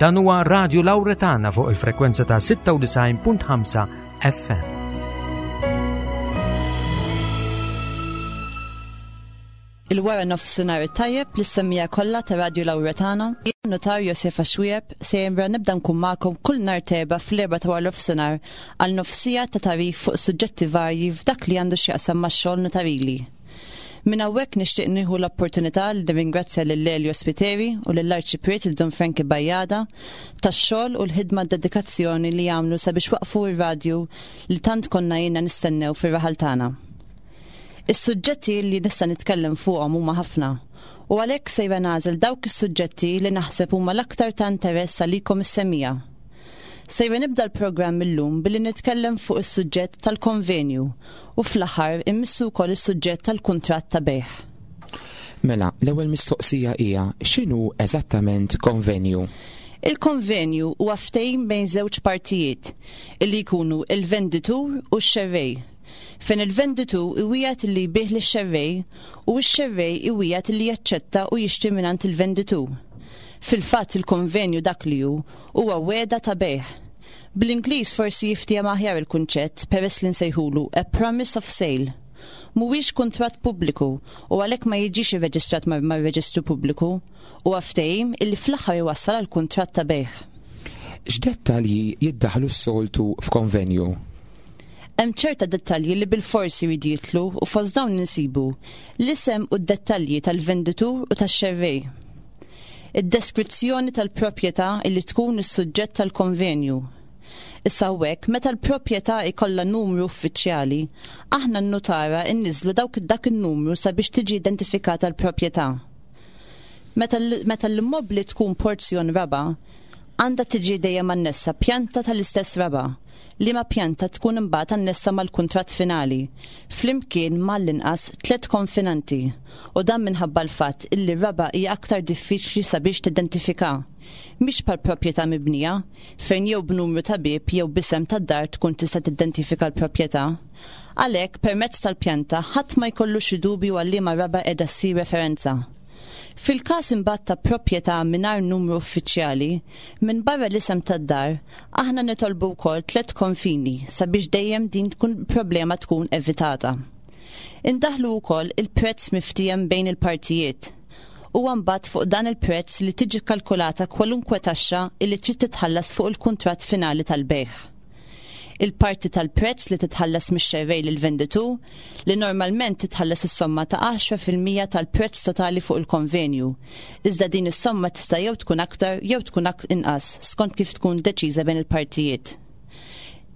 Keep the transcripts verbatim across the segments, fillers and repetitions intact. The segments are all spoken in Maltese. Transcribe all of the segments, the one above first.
Dan huwa Radio Lauretana fuq il-frekwenza ta' sitta u disgħin punt ħamsa F M. Il-wara nofsinhar tajjeb lis-semmiegħa kollha ta' Radio Lauretana. Jien Notar Josefa Xwieb sejra nibda nkun magħkom kull nhar t'Erbgħa fl-erba' ta' wara nofsinhar għal nofs siegħa ta' tagħrif fuq suġġetti varji f'dak li għandu x'jaqsam max-xogħol notarili. Minn hawnhekk nixtieq nieħu l-opportunità li nirringrazzja lil Elio Spiteri u lill-Arċipriet il Dun Franki Bajjada tax-xogħol u l-ħidma, dedikazzjoni li jagħmlu sabiex waqfu r-radju li tant konna ilna nistennew fir-raħal tagħna. Is-suġġetti li nista' nitkellem fuqhom huma ħafna u għalhekk sejra nagħżel dawk is-suġġetti li naħseb huma l-aktar ta' interess għalikom is-semmiegħa. Sejra nibda l-programm illum billi nitkellem fuq is-suġġett tal-konvenju u fl-aħħar immissu wkoll is-suġġett tal-kuntratt ta' bejgħ. Mela, l-ewwel mistoqsija hija: x'inhu eżattament konvenju? Il-konvenju huwa ftehim bejn żewġ partijiet illi jkunu il-venditur u x-xerrej, fejn il-venditur iwiegħed li jbigħ lix-xerrej u x-xerrej iwiegħed li jaċċetta u jixtri mingħand il-venditur. Fil-fatt, il-konvenju dak li hu huwa wegħda ta' bejgħ. Bl-Ingliż forsi jiftiehem aħjar il-kunċett peress li nsejħulu a promise of sale. Mhuwiex kuntratt pubbliku u għalhekk ma jiġix irreġistrat mar-reġistru pubbliku, u ftehim illi fl-aħħar iwassal għal kuntratt ta' bejgħ. X'dettalji jiddaħlu s-soltu f'konvenju? Hemm ċerta dettalji li bil-forsi jridu jidħlu u fost dawn insibu l-isem u d-dettalji tal-venditur u tax-xerrej, id-deskrizzjoni tal-proprjetà illi tkun is-suġġett tal-konvenju. Issa hawnhekk, meta l-proprjetà ikollha numru uffiċjali, aħna n-nutara inniżlu dawk dak in-numru sabiex tiġi identifikata l-proprjetà. Meta l-immobli tkun porzjon raba', għandha tiġi dejjem annessa pjanta tal-istess raba', liema pjanta tkun imbagħad annessa mal-kuntratt finali, flimkien mal-inqas tliet konfinanti, u dan minħabba l-fatt illi raba' hija aktar diffiċli sabiex tidentifika. Mhix bħal proprjetà mibnija, fejn jew b'numru ta' bieb jew b'isem tad-dar tkun tista' tidentifika l-proprjetà. Għalhekk, permezz tal-pjanta ħadd ma jkollu xi dubju għal liema raba' qiegħda ssir referenza. Fil-każ imbagħad ta' proprjetà mingħajr numru uffiċjali, minn barra l-isem tad-dar, aħna nitolbu wkoll tliet konfini sabiex dejjem din tkun problema tkun evitata. Indaħlu wkoll il-prezz miftiem bejn il-partijiet. U mbagħad fuq dan il-prezz li tiġi kalkulata kwalunkwe taxxa illi trid titħallas fuq il-kuntratt finali tal-bejgħ. Il-parti tal-prezz li titħallas mix-xerrej lil venditur, li normalment titħallas is-somma ta' għaxra fil-mija tal-prezz totali fuq il-konvenju. Iżda din is-somma tista' jew tkun aktar jew tkun inqas skont kif tkun deċiża bejn il-partijiet.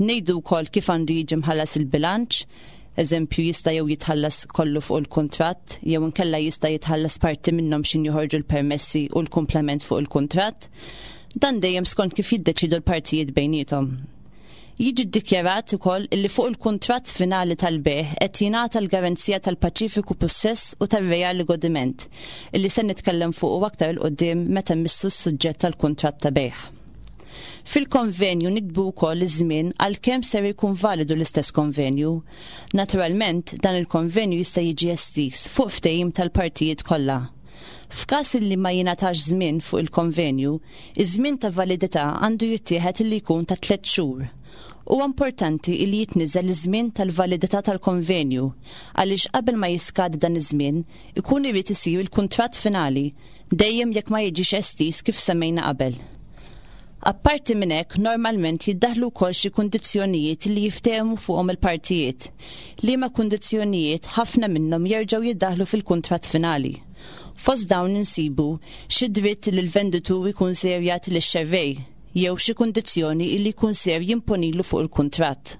Ngħidu wkoll kif għandu jiġi mħallas il-bilanċ, eżempju, jista' jew jitħallas kollu fuq il-kuntratt jew inkella jista' jitħallas parti minnhom x'ħin joħorġu l-permessi u l-komplement fuq il-kuntratt. Dan dejjem skont kif jiddeċidu l-partijiet bejniethom. Jiġi ddikjarat ukoll illi fuq il-kuntratt finali tal-bejgħ qed jingħata l-garanzija tal-paċifiku pussess u tar-reali godiment, illi se nitkellem fuq aktar 'il quddiem meta mmissu s-suġġett tal-kuntratt ta' bejgħ. Fil-konvenju niktbu wkoll iż-żmien għal kemm ser jkun validu l-istess konvenju. Naturalment, dan il-konvenju jista' jiġi estiż fuq ftehim tal-partijiet kollha. F'każ li ma jingħatax żmien fuq il-konvenju, iż-żmien ta' validità għandu jittieħed li jkun ta' tliet xhur. Huwa importanti li jitniżel iż-żmien tal-validità tal-konvenju għaliex qabel ma jiskad dan iż-żmien ikun irid isir il-kuntratt finali, dejjem jekk ma jiġix estiż kif semmejna qabel. Apparti minn hekk, normalment jiddaħlu wkoll xi kundizzjonijiet li jiftehmu fuqhom il-partijiet, liema kundizzjonijiet ħafna minnhom jerġgħu jiddaħlu fil-kuntratt finali. Fost dawn insibu xi dritt li l-venditur ikun ser jagħti lix-xerrej jew xi kundizzjoni li jkun ser jimponilu fuq il-kuntratt.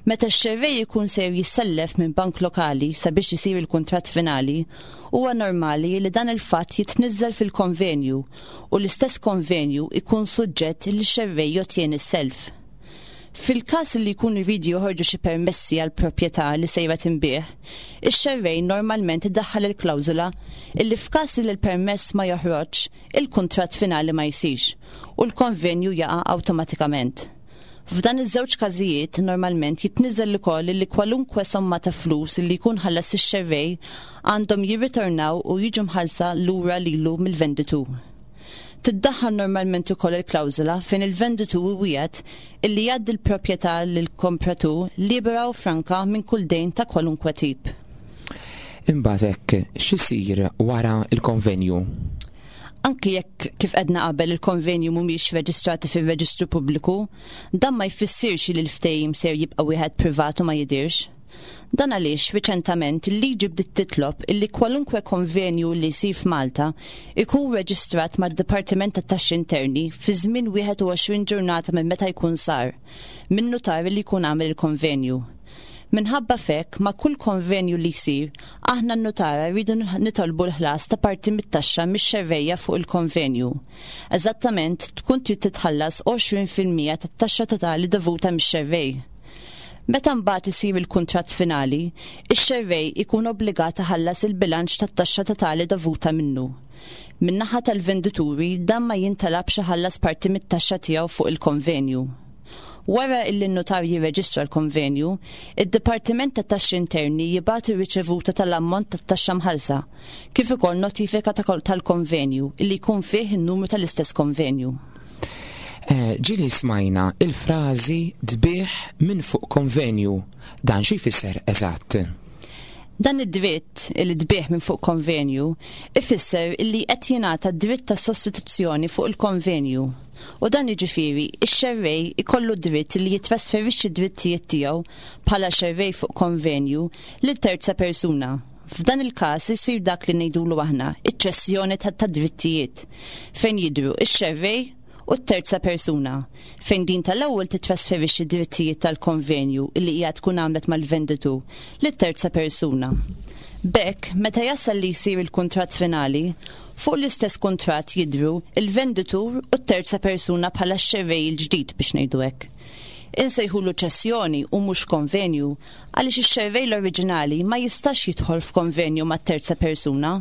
Meta x-xerrej ikun ser jissellef minn bank lokali sabiex isir il-kuntratt finali, huwa normali li dan il-fatt jitniżżel fil-konvenju u l-istess konvenju ikun suġġett li x-xerrej jottjeni s-self. Fil-każ li jkunu jridu joħorġu xi permessi għal proprjetà li sejra tinbiegħ, ix-xerrej normalment iddaħħal il-klawżola illi f'każ li l-permess ma joħroġ, il-kuntratt finali ma jsirx u l-konvenju jaqa' awtomatikament. F'dan iż-żewġ każijiet normalment jitniżel ukoll li kwalunkwe somma ta' flus li jkun ħallas ix-xerrej għandhom jirritornaw u jiġu mħallsa lura lilu mill-venditur. Tiddaħħal normalment ukoll il-klawżola fejn il-venditur iwiegħed illi jgħaddi l-proprjetà lill-kompratur libera u franka minn kull dejn ta' kwalunkwe tip. Imbagħad hekk x'isir wara l-konvenju? Anki jekk kif għedna qabel il-konvenju mhumiex reġistrati fir-reġistru pubbliku, dan ma jfissirx li l-ftehim ser jibqa' wieħed privat u ma jidirx. Dan għaliex riċentament il-liġi bdiet titlob illi kwalunkwe konvenju li jsir f'Malta ikun reġistrat mad-Dipartiment tat-Taxxi Interni fi żmien wieħed u għoxrin ġurnata minn meta jkun sar, minn notar li jkun għamel il-konvenju. Minħabba fek, ma' kull konvenju li jsir, aħna n-nutara rridu nitolbu l-ħlas ta' parti mit-taxxa mix-xerrejja fuq il-konvenju. Eżattament, tkun trid titħallas għoxrin fil-mija tat-taxxa totali dovuta mix-xerrej. Meta mbagħad isir il-kuntratt finali, ix-xerrej ikun obbligat iħallas il-bilanċ tat-taxxa totali dovuta minnu. Min-naħa tal-vendituri dan ma jintalabx iħallas parti mit-taxxa tiegħu fuq il-konvenju. Wara illi n-notar jirreġistra l-konvenju, id-Dipartiment tat-Taxxi Interni jibgħatu riċevuta tal-ammont tat-taxxa mħallsa, kif ukoll notifika ta' kol-, tal-konvenju illi jkun fih in-numru tal-istess konvenju. Eh, ġieli smajna il-frażi tbigħ minn fuq konvenju. Dan xi jfisser eżatt? Dan id-dritt li tbigħ minn fuq konvenju ifisser illi qed jingħata dritt ta' sostituzzjoni fuq il-konvenju. U dan jiġifieri ix-xerrej ikollu dritt li jitrasferixxi d-drittijiet tiegħu bħala xerrej fuq konvenju lil terza persuna. F'dan il-każ isir dak li ngħidulu aħna iċ-ċessjoni ta', ta' drittijiet fejn jidhru ix-xerrej u t-terza persuna, fejn din tal-ewwel titrasferixxi drittijiet tal-konvenju li hija tkun għamlet mal-venditur lit-terza persuna. B'hekk, meta jasal li jsir il-kuntratt finali, fuq l-istess kuntratt jidhru il-venditur u t-terza persuna bħala x-xerrej il-ġdid biex ngħidu hekk. Insejħulu ċessjoni u mhux konvenju għaliex ix-xerrej l-oriġinali ma jistax jidħol f'konvenju mat-terza persuna,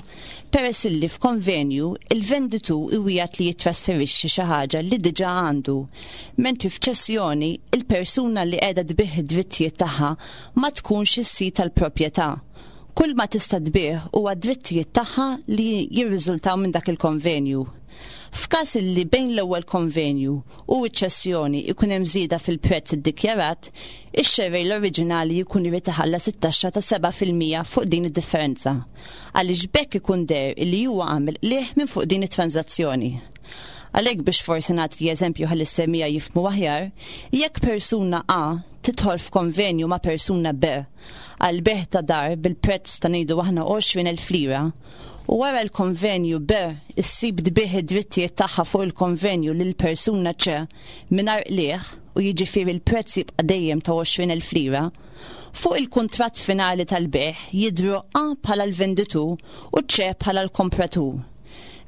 peress illi f'konvenju il-venditur iwiegħed li jitrasferixxi xi ħaġa li diġà għandu, mentri f'ċessjoni il-persuna li qiegħda tbigħ id-drittijiet tagħha ma tkunx is-sid tal-proprjetà. Kull ma tista' tbigħ huwa d-drittijiet tagħha li jirriżultaw minn dak il-konvenju. F'każ li bejn l-ewwel konvenju u ċ-ċessjoni ikun hemm żieda fil-prezz iddikjarat, ix-xerrej l-oriġinali jkun irid iħallas it-taxxa ta' seba' fil-mija fuq din id-differenza, għaliex b'hekk ikun deher li huwa għamel qligħ minn fuq din it-transazzjoni. Għalhekk biex forsi nagħti eżempju ħalli s-semija jifhmu aħjar, jekk persuna A tidħol f'konvenju ma' persuna B għal bejgħ ta' dar bil-prezz ta' ngħidu aħna għoxrin elf lira, u wara l-konvenju B issib tbigħ id-drittijiet tagħha fuq il-konvenju lil persuna C mingħajr qligħ u jiġifieri l-prezz jibqa' dejjem ta' għoxrin elf lira, fuq il-kuntratt finali tal-bejgħ jidhru A bħala l-venditur u C bħala l-kompratur.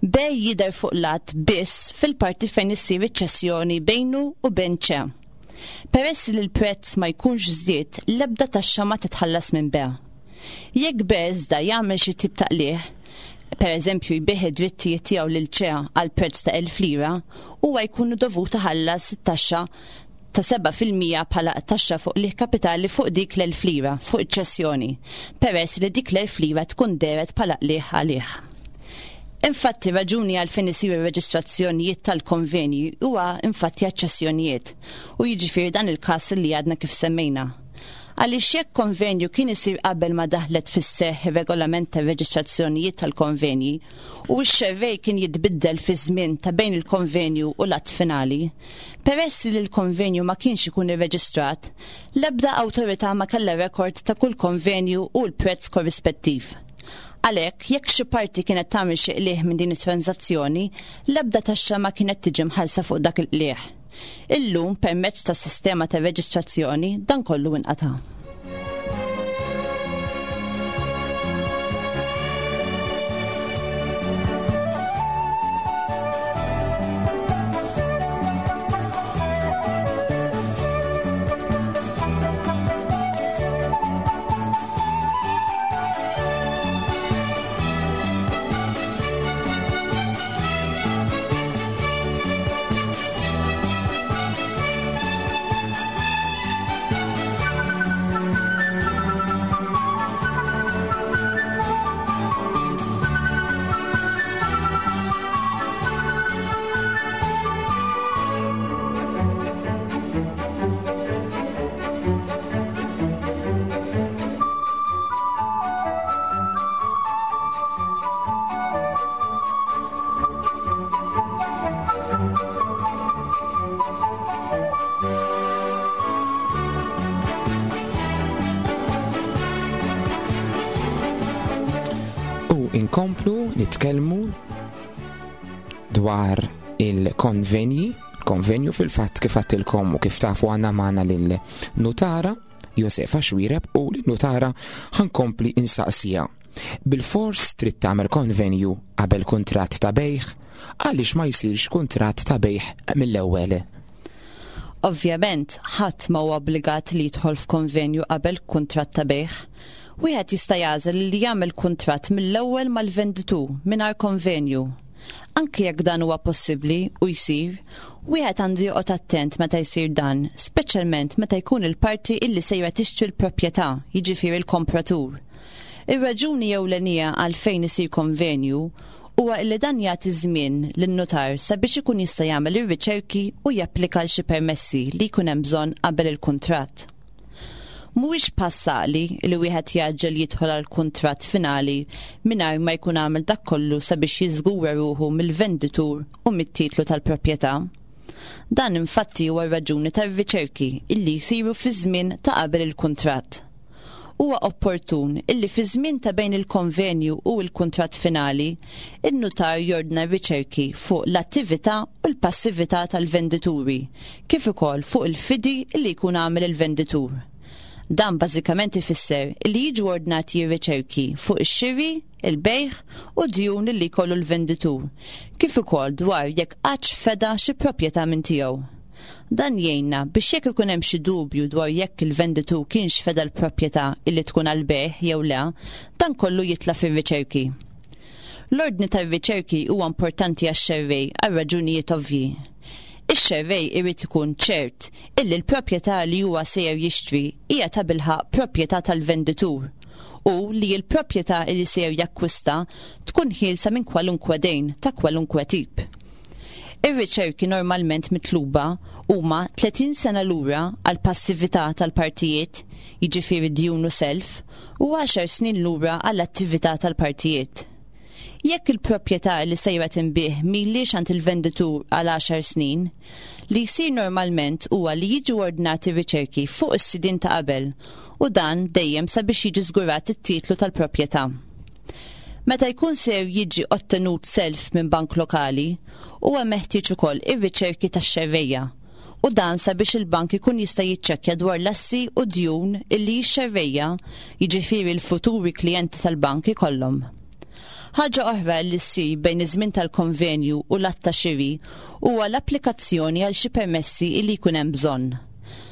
B jidher fuq l-att biss fil-parti fejn issir iċ-ċessjoni bejnu u bejn C. Peress li l-prezz ma jkunx żdied, l-ebda taxxa ma titħallas minn B. Jekk B iżda jagħmel xi tip ta' qligħ, per eżempju jbigħ id-drittijiet tiegħu lil C għal prezz ta' elf lira, huwa jkun dovut iħallas it-taxxa ta' seba' fil-mija bħala taxxa fuq qligħ kapitali fuq dik l-elf lira fuq iċ-ċessjoni, peress li dik l-elf lira tkun dehret bħala qligħ għalih. Infatti, raġuni għalfejn isiru reġistrazzjonijiet tal-konvenji huwa infatti aċċessjonijiet, u jiġifieri dan il-każ li għadna kif semmejna. Għaliex jekk konvenju kien isir qabel ma daħlet fis-seħħ ir-regolament tar-reġistrazzjonijiet tal-konvenji u x-xerrej kien jitbiddel fi żmien ta' bejn il-konvenju u l-att finali, peress li l-konvenju ma kienx ikun irreġistrat, l-ebda awtorità ma kellha rekord ta' kull konvenju u l-prezz korrispettiv. Għalhekk, jekk xi parti kienet tagħmel xi qligħ minn din it-transazzjoni, l-ebda taxxa ma kienet tiġi mħallsa fuq dak il-qligħ. Illum, permezz tas-sistema ta' reġistrazzjoni, dan kollu inqata'. Inkomplu nitkellmu dwar il-konvenji, konvenju fil-fatt kif għedtilkom u kif tafu għandna magħna lil-nutara Josefa Xuereb u l-nutara ħa nkompli insaqsija. Bil-fors trid tagħmel konvenju qabel kuntratt ta' bejgħ, għaliex ma jsirx kuntratt ta' bejgħ mill-ewwel? Ovvjament, ħadd ma huwa obbligat li jidħol f'konvenju qabel kuntratt ta' bejgħ. Wieħed jista' jagħżel li jagħmel kuntratt mill-ewwel mal-venditur mingħajr konvenju. Anki jekk dan huwa possibbli u jsir, wieħed għandu joqgħod attent meta jsir dan, speċjalment meta jkun il-parti illi sejra tixtri l-proprjetà, jiġifieri l-kompratur. Ir-raġuni ewlenija għalfejn isir konvenju huwa illi dan jagħti żmien lin-notar sabiex ikun jista' jagħmel ir-riċerki u japplika għal xi permessi li jkun hemm bżonn qabel il-kuntratt. Mhuwiex pass għaqli li wieħed jgħaġġel jidħol għal kuntratt finali mingħajr ma jkun għamel dak kollu sabiex jiżgura ruħu mill-venditur u mit-titlu tal-proprjetà. Dan infatti huwa r-raġuni tar-riċerki illi jsiru fi żmien ta' qabel il-kuntratt. Huwa opportun illi fi żmien ta' bejn il-konvenju u l-kuntratt finali, in-nutar jordna riċerki fuq l-attività u l-passività tal-vendituri, kif ukoll fuq il-fidi illi jkun għamel il-venditur. Dan bażikament ifisser illi jiġu ordnati riċerki fuq ix-xiri, il-bejgħ u djun li jkollu l-venditur, kif ukoll dwar jekk qattx feda xi proprjetà minn tiegħu. Dan jgħinna biex jekk ikun hemm xi dubju dwar jekk il-venditur kienx feda l-proprjetà illi tkun għall-bejgħ jew le, dan kollu jitla' fir-riċerki. L-ordni tar-riċerki huwa importanti għax-xerrej għal raġunijiet ovvji. Ix-xerrej irid ikun ċert illi l-proprjetà li huwa sejjer jixtri hija tabilħaqq proprjetà tal-venditur u li l-proprjetà li sejjer jakkwista tkun ħielsa minn kwalunkwe dejn ta' kwalunkwe tip. Ir-riċerki normalment mitluba huma tletin sena lura għal passività tal-partijiet, jiġifieri djun u self, u għaxar snin lura għall attività tal-partijiet. Jekk il-proprjetà li sejra tinbiegħ m'ilhiex għand il-venditur għal għaxar snin, li jsir normalment huwa li jiġu ordnati riċerki fuq is-sidien ta' qabel u dan dejjem sabiex jiġi żgurat it-titlu tal-proprjetà. Meta jkun ser jiġi ottenut self minn bank lokali, huwa meħtieġ ukoll ir-riċerki tax-xerrejja u dan sabiex il-bank ikun jista' jiċċekkja dwar l-assi u djun illi x-xerrejja, jiġifieri l-futuri klijenti tal-bank, ikollhom. Ħaġa oħra li ssir bejn iż-żmien tal-konvenju u l-att ta' xiri huwa l-applikazzjoni għal xi permessi illi jkun hemm bżonn.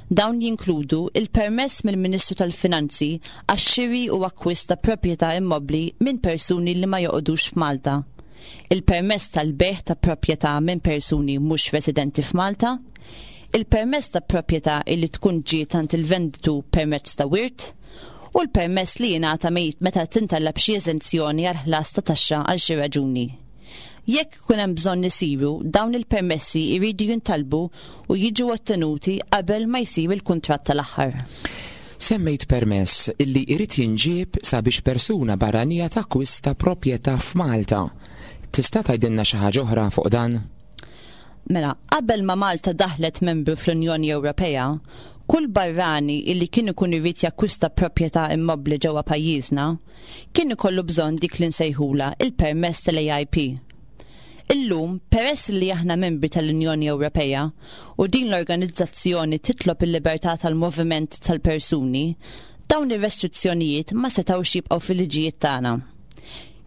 Dawn jinkludu il-permess mill-Ministru tal-Finanzi għax-xiri u akkwist ta' proprjetà immobbli minn persuni li ma joqogħdux f'Malta, il-permess tal-bejgħ ta' proprjetà minn persuni mhux residenti f'Malta, il-permess ta' proprjetà illi tkun ġiet għand il-venditur permezz ta' wirt, u l-permess li jingħata meta tintalab xi eżenzjoni għal ħlas ta' taxxa għal xi raġuni. Jekk ikun hemm bżonn isiru, dawn il-permessi jridu jintalbu u jiġu ottenuti qabel ma jsir il-kuntratt tal-aħħar. Semmejt permess illi jrid jinġieb sabiex persuna barranija takkwista proprjetà f'Malta. Tista' tgħidilna xi ħaġa oħra fuq dan? Mela, qabel ma Malta daħlet membru fl-Unjoni Ewropea, kull barrani illi kien ikun irid jakkwista proprjetà immobbli ġewwa pajjiżna, kien ikollu bżonn dik li nsejħula il-permess tal-A I P. Illum, peress li aħna membri tal-Unjoni Ewropea u din l-organizzazzjoni titlob il-libertà tal-moviment tal-persuni, dawn ir-restrizzjonijiet ma setgħux jibqgħu fil-liġijiet tagħna.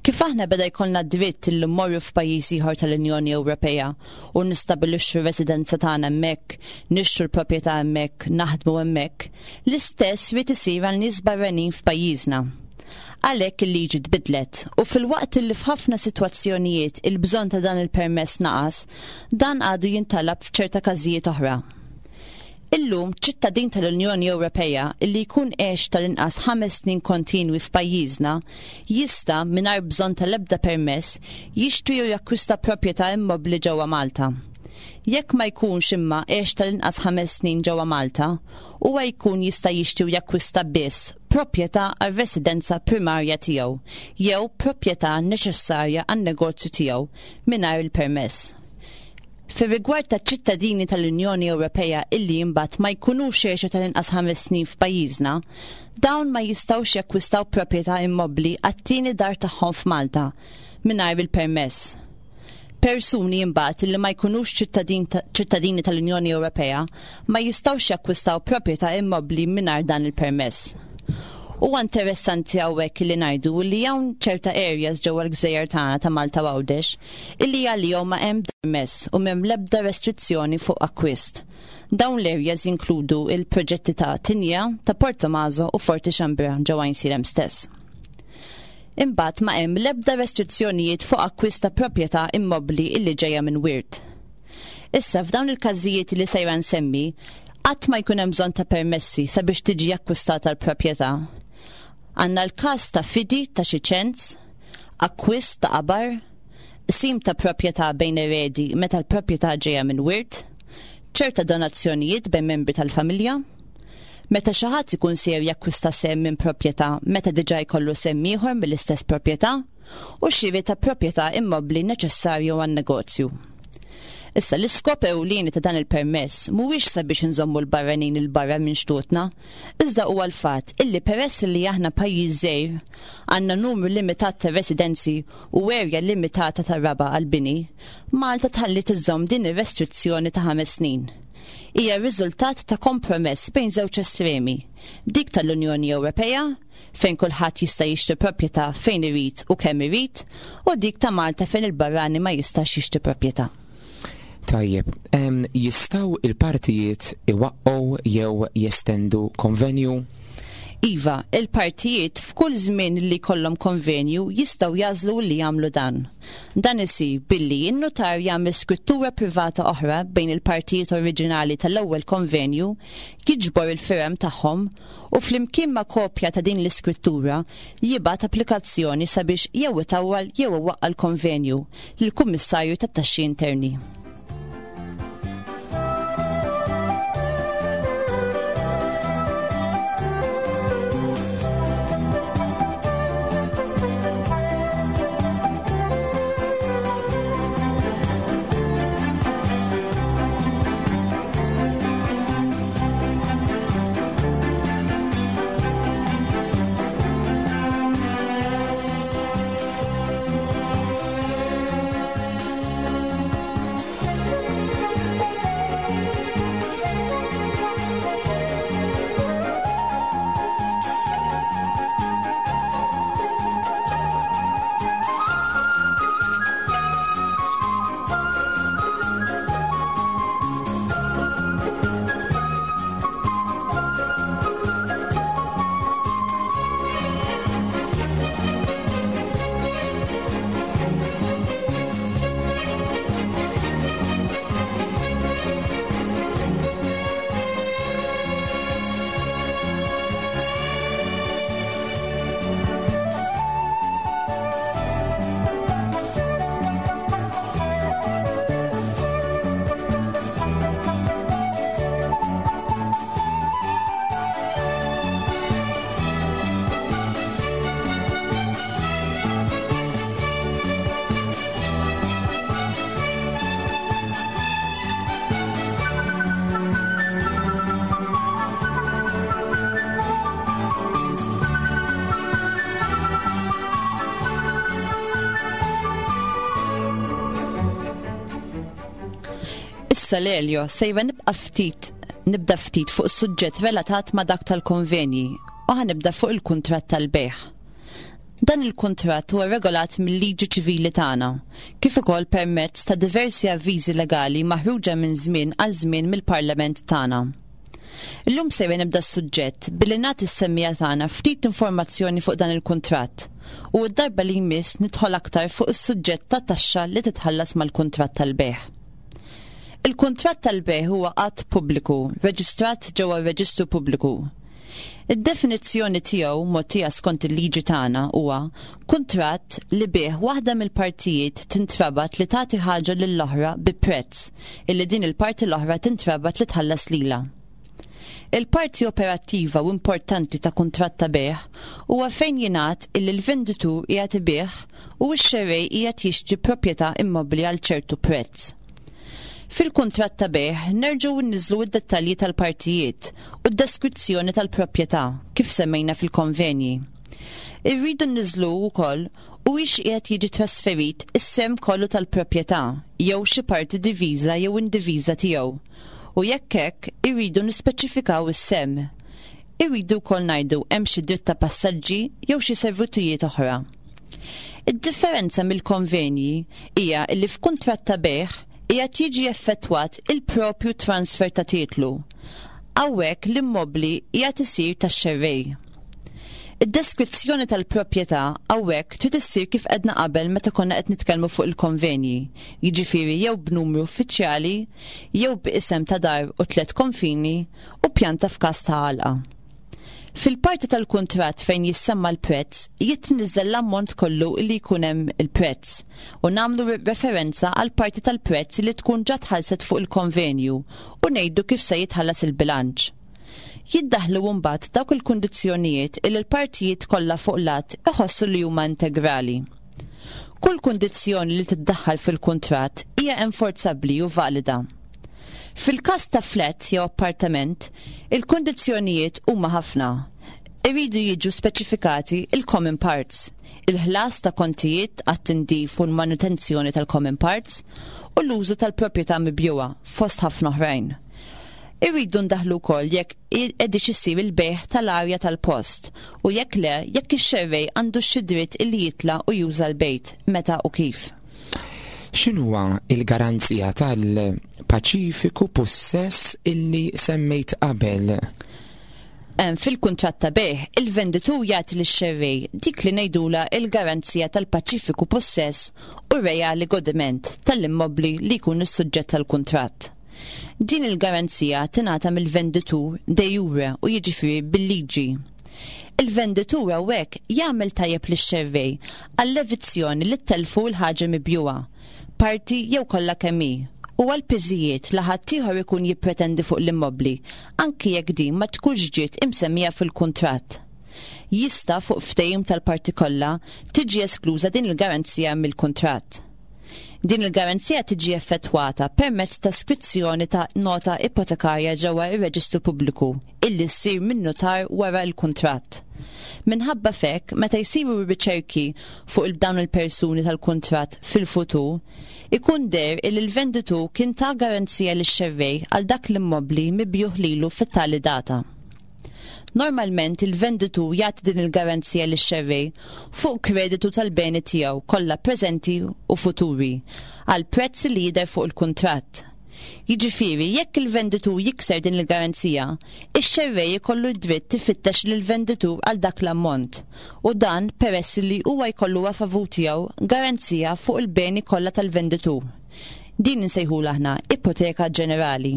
Kif aħna beda jkollna dritt li mmorru f'pajjiż ieħor tal-Unjoni Ewropea u nistabilixxu residenza tagħna hemmhekk, nixtru l-proprjetà hemmhekk, naħdmu hemmhekk, l-istess irid isir għal nies barranin f'pajjiżna. Għalhekk il-liġi tbidlet u filwaqt li f'ħafna sitwazzjonijiet il-bżonn ta' dan il-permess naqas, dan għadu jintalab f'ċerta każijiet oħra. Illum ċittadin tal-Unjoni Ewropea illi jkun għex tal-inqas ħames snin kontinwi f'pajjiżna jista' mingħajr bżonn tal-ebda permess jixtri jew jakkwista proprjetà immobbli ġewwa Malta. Jekk ma jkunx imma għex tal-inqas ħames snin ġewwa Malta, huwa jkun jista' jixtri u jakkwista biss proprjetà għar-residenza primarja tiegħu jew proprjetà neċessarja għan-negozju tiegħu mingħajr il-permess. Fir-rigward ta' ċittadini tal-Unjoni Ewropea illi imbagħad ma jkunux għexu tal-inqas ħames snin f'pajjiżna, dawn ma jistgħux jakkwistaw proprjetà immobbli għat-tieni dar tagħhom f'Malta mingħajr il-permess. Persuni imbagħad illi ma jkunux ċittadini tal-Unjoni Ewropea ma jistgħux jakkwistaw proprjetà immobbli mingħajr dan il-permess. Huwa interessanti hawnhekk li ngħidu li hawn ċerta areas ġewwa l-gżejjer tagħna ta' Malta u Għawdex illi għalihom ma hemm permess u m'hemm l-ebda restrizzjoni fuq akkwist. Dawn l-areas jinkludu il-proġetti ta' Tinja, ta' Portomaso u Forti Xambra ġewwa Għajnsielem stess. Imbagħad ma hemm l-ebda restrizzjonijiet fuq akkwist ta' proprjetà immobbli illi ġejja minn wirt. Issa f'dawn il-każijiet li sejra nsemmi, qatt ma jkun hemm bżonn ta' permessi sabiex tiġi akkwistata l-proprjetà. Għandna l-każ ta' fidi ta' xi ċens, akkwist ta' qabar, qsim ta' proprjetà bejn eredi meta l-proprjetà ġejja minn wirt, ċerta donazzjonijiet bejn membri tal-familja, meta xi ħadd ikun sejjer jakkwista sehem minn proprjetà meta diġà jkollu sehem ieħor mill-istess proprjetà, u xiri ta' proprjetà immobbli neċessarju għan-negozju. Issa l-iskop ewlieni ta' dan il-permess mhuwiex sabiex inżommu l-barranin il barra minn xtutna, iżda huwa l-fatt illi peress li aħna pajjiż żgħir għandna numru limitat ta' residenzi u erja limitata ta' raba' għall-bini, Malta tħalli iżżomm din ir-restrizzjoni ta' ħames snin. Hija riżultat ta' kompromess bejn żewġ estremi, dik tal-Unjoni Ewropea, fejn kulħadd jista' jixtri proprjetà fejn irid u kemm irid, u dik ta' Malta fejn il-barrani ma jistax jixtri proprjetà. Tajjeb, jistgħu il-partijiet iwaqqgħu jew jestendu konvenju? Iva, il-partijiet f'kull żmien li jkollhom konvenju jistgħu jagħżlu li jagħmlu dan. Dan isir billi n-notar jagħmel skrittura privata oħra bejn il-partijiet oriġinali tal-ewwel konvenju, jiġbor il-firem tagħhom u flimkien ma' kopja ta' din l-iskrittura jibgħat applikazzjoni sabiex jew itawwal jew iwaqqa' l-konvenju lill-Kummissarju tat-Taxxi Interni. Issa Lelio, sejra nibqa' ftit, nibda ftit fuq suġġett relatat ma' dak tal-konvenji u ħanibda fuq il-kuntratt tal-bejgħ. Dan il-kuntratt huwa regolat mill-liġi ċivili tagħna, kif ukoll permezz ta' diversi avviżi legali maħruġa minn żmien għal żmien mill-Parlament tagħna. Illum sejra nibda s-suġġett billi nagħti s-semmija tagħna ftit informazzjoni fuq dan il-kuntratt u d-darba li jmiss nidħol aktar fuq is-suġġett ta' taxxa li titħallas mal-kuntratt tal-bejgħ. Il-kuntratt tal-bejgħ huwa att pubbliku, reġistrat ġewwa r-Reġistru Pubbliku. Id-definizzjoni tiegħu mogħtija skont il-liġi tagħna huwa kuntratt li bih waħda mill-partijiet tintrabat li tagħti ħaġa lill-oħra bi prezz illi din il-parti l-oħra tintrabat li tħallas lilha. Il-parti operattiva u importanti ta' kuntratt ta' bejgħ huwa fejn jingħad illi l-venditur qiegħed ibigħ u x-xerrej qiegħed jixtri proprjetà immobbli għal ċertu prezz. Fil-kuntratt ta' bejgħ nerġgħu nniżżlu d-dettalji tal-partijiet u d-deskrizzjoni tal-proprjetà kif semmejna fil-konvenji. Irridu nniżżlu wkoll huwiex qiegħed jiġi trasferit is-sehem kollu tal-proprjetà jew xi parti diviża jew indiviża tiegħu. U jekk hekk irridu nispeċifikaw is-sehem. Irridu wkoll ngħidu hemm xi dritt ta' passaġġi jew xi servitujiet oħra. Id-differenza mill-konvenji hija li f'kuntratt ta' bejgħ qiegħed jiġi effettwat il-propju transfer ta' titlu. Hawnhekk l-immobbli qiegħed isir tax-xerrej. Id-deskrizzjoni tal-proprjetà hawnhekk trid issir kif għedna qabel meta konna qed nitkellmu fuq il-konvenji, jiġifieri jew b'numru uffiċjali, jew b'isem ta' dar u tliet konfini u pjanta f'każ ta' għalqa. Fil-parti tal-kuntratt fejn jissemma l-prezz, jitniżżel l-ammont kollu li jkun hemm il-prezz u nagħmlu referenza għal parti tal-prezz li tkun ġa tħallset fuq il-konvenju u ngħidu kif se jitħallas il-bilanċ. Jiddaħlu mbagħad dawk il-kundizzjonijiet li l-partijiet kollha fuq l-att iħossu li huma integrali. Kull kundizzjoni li tiddaħħal fil-kuntratt hija enforzabbli u valida. Fil-każ ta' flat jew appartament, il-kundizzjonijiet huma ħafna. Iridu jiġu speċifikati il-common parts, il-ħlas ta' kontijiet għat-tindif u l-manutenzjoni tal-common parts u l-użu tal-proprjetà mibjugħa fost ħafna oħrajn. Irridu ndaħlu wkoll jekk qegħdix isir il-bejgħ tal-arja tal-post u jekk le, jekk ix-xerrej għandu xi dritt illi jitla' u juża l-bejt, meta u kif. X'inhuwa il-garanzija tal-paċifiku pussess illi semmejt qabel? Fil-kuntratt ta' bejgħ, il-venditur jagħti lix-xerrej dik li ngħidula il-garanzija tal-paċifiku pussess u reali godiment tal-immobbli li jkun is-suġġett tal-kuntratt. Din il-garanzija tingħata mill-venditur de jure u jiġifieri bil-liġi. Il-venditur hawnhekk jagħmel tajjeb lix-xerrej għall-evizzjoni li telfu l-ħaġa mibjugħa, parti jew kollha kemm hi, u għal piżijiet li ħaddieħor ikun jippretendi fuq l-immobbli, anki jekk din ma tkunx ġiet imsemmija fil-kuntratt. Jista' fuq ftehim tal-parti kollha tiġi eskluża din il-garanzija mill-kuntratt. Din il-garanzija tiġi effettwata permezz ta' skrizzjoni ta' nota ipotekarja ġewwa ir-Reġistru Pubbliku illi ssir minn notar wara l-kuntratt. Minħabba f'hekk, meta jsiru riċerki fuq il dawn il-persuni tal-kuntratt fil-futur, ikun deher illi l-venditur kien ta' garanzija lix-xerrej għal dak l-immobbli mibjugħ lilu fit-tali data. Normalment il-venditur jagħti din il-garanzija lix-xerrej fuq kreditu tal-beni tiegħu kollha preżenti u futuri għal prezz li jidher fuq il-kuntratt. Jiġifieri jekk il-venditur jikser din il-garanzija, ix-xerrej ikollu d-dritt ifittex lill-venditur għal dak l-ammont u dan peress li huwa jkollu a favur tiegħu garanzija fuq il-beni kollha tal-venditur. Din insejħulha aħna ipoteka ġenerali.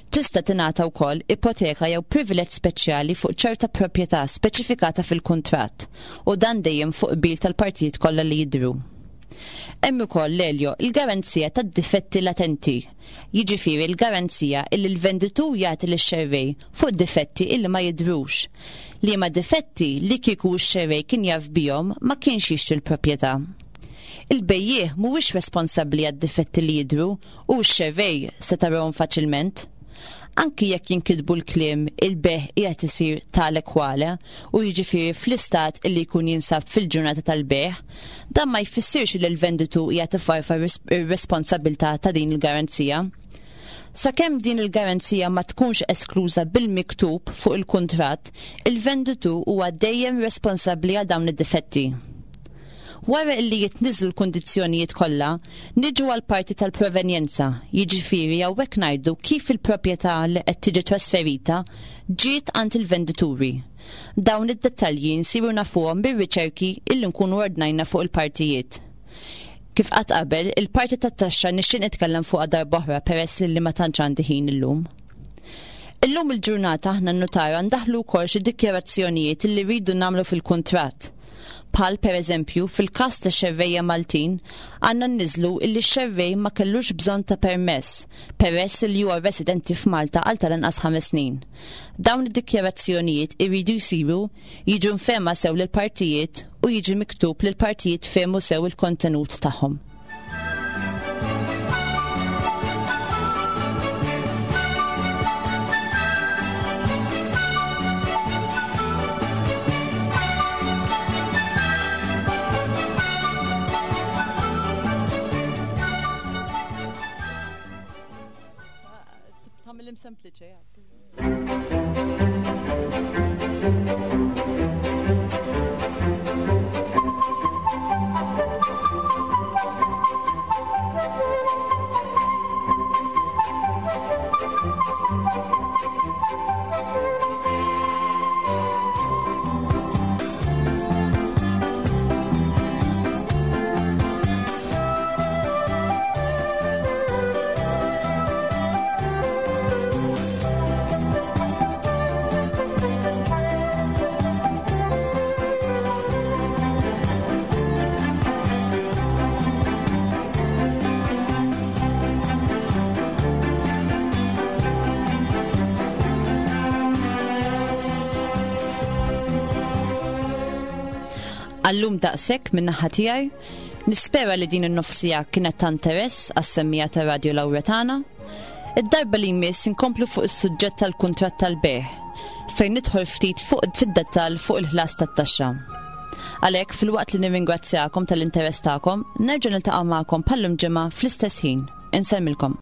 Tista' tingħata wkoll ipoteka jew privileġġ speċjali fuq ċerta proprjetà speċifikata fil-kuntratt u dan dejjem fuq qbil tal-partijiet kollha li jidhru. Hemm ukoll l-Elio il-garanzija tad-difetti latenti, jiġifieri l-garanzija illi l-venditur jagħti lix-xerrej fuq difetti illi ma jidhrux, liema difetti li kieku x-xerrej kien jaf bihom ma kienx jixtri l-proprjetà. Il-bejjiegħ mhuwiex responsabbli għad-difetti li jidhru u x-xerrej se tarahom faċilment. Anki jekk jinkitbu l-kliem il-bejgħ qiegħed isir tale quale u jiġifieri fl-istat illi jkun jinsab fil-ġurnata tal-bejgħ, dan ma jfissirx li l-venditur qiegħed ifarfar ir-responsabilità ta' din il-garanzija. Sakemm din il-garanzija ma tkunx eskluża bil-miktub fuq il-kuntratt, il-venditur huwa dejjem responsabbli għal dawn id-difetti. Wara illi jitniżżlu l-kundizzjonijiet kollha, niġu għal parti tal-provenjenza, jiġifieri hawnhekk ngħidu kif il-proprjetà li qed tiġi trasferita ġiet għand il-vendituri. Dawn id-dettalji nsiru nafuhom bir-riċerki illi nkunu ordnajna fuq il-partijiet. Kif qatt qabel, il-parti tat-taxxa nixtieq nitkellem fuqha darb'oħra peress li ma tantx għandi ħin illum. Illum il-ġurnata aħna n-nutara ndaħlu wkoll xi dikjarazzjonijiet illi rridu nagħmlu fil-kuntratt. Bħal per eżempju, fil-każ ta' xerrejja Maltin, għandna nniżżlu illi x-xerrej ma kellux bżonn ta' permess, peress li huwa residenti f'Malta għal tal-inqas ħames snin. Dawn id-dikjarazzjonijiet iridu jsiru, jiġu mfehma sew lill-partijiet u jiġi miktub li l-partijiet fehmu sew il-kontenut tagħhom. Tagħmilhom sempliċi. Għal-lum daqshekk min-naħa tiegħi, nispera li din in-nofs siegħa kienet ta' interess għas-semmiegħa ta' Radio Lawretana. Id-darba li jmiss inkomplu fuq is-suġġett tal-kuntratt tal-bejgħ, fejn nidħol ftit fuq fid-dettall fuq il-ħlas tat-taxxa. Għalhekk filwaqt li nirringrazzjakom tal-interess tagħkom, nerġa' niltaqa' magħkom bħal-lum ġimgħa fl-istess ħin. Insellmilkom.